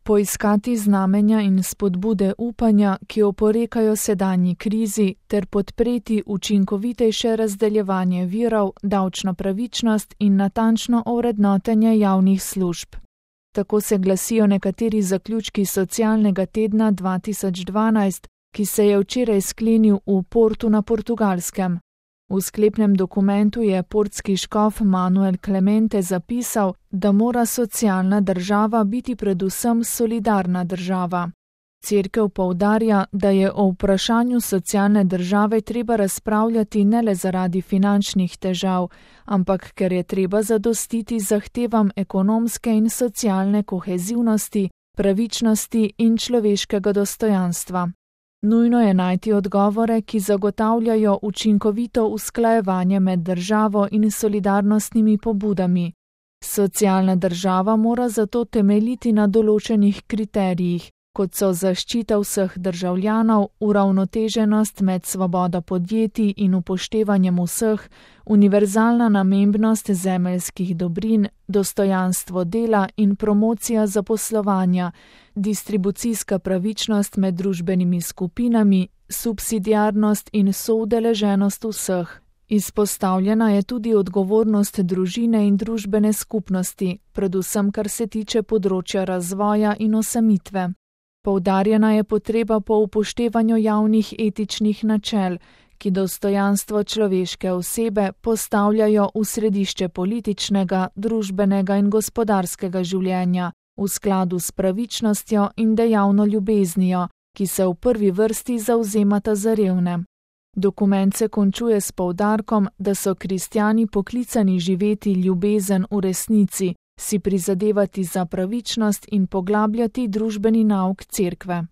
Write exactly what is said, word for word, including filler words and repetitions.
poiskati znamenja in spodbude upanja, ki oporekajo sedanji krizi, ter podpreti učinkovitejše razdeljevanje virov, davčno pravičnost in natančno ovrednotenje javnih služb. Tako se glasijo nekateri zaključki socialnega tedna dva tisoč dvanajst, ki se je včeraj sklenil v Portu na Portugalskem. V sklepnem dokumentu je portski škof Manuel Clemente zapisal, da mora socialna država biti predvsem solidarna država. Cerkev poudarja, da je o vprašanju socialne države treba razpravljati ne le zaradi finančnih težav, ampak ker je treba zadostiti zahtevam ekonomske in socialne kohezivnosti, pravičnosti in človeškega dostojanstva. Nujno je najti odgovore, ki zagotavljajo učinkovito usklajevanje med državo in solidarnostnimi pobudami. Socialna država mora zato temeljiti na določenih kriterijih, kot so zaščita vseh državljanov, uravnoteženost med svobodo podjetij in upoštevanjem vseh, univerzalna namembnost zemeljskih dobrin, dostojanstvo dela in promocija zaposlovanja, distribucijska pravičnost med družbenimi skupinami, subsidiarnost in soudeleženost vseh. Izpostavljena je tudi odgovornost družine in družbene skupnosti, predvsem kar se tiče področja razvoja in osamitve. Poudarjena je potreba po upoštevanju javnih etičnih načel, ki dostojanstvo človeške osebe postavljajo v središče političnega, družbenega in gospodarskega življenja, v skladu s pravičnostjo in dejavno ljubeznijo, ki se v prvi vrsti zavzemata za revne. Dokument se končuje s poudarkom, da so kristjani poklicani živeti ljubezen v resnici, si prizadevati za pravičnost in poglabljati družbeni nauk cerkve.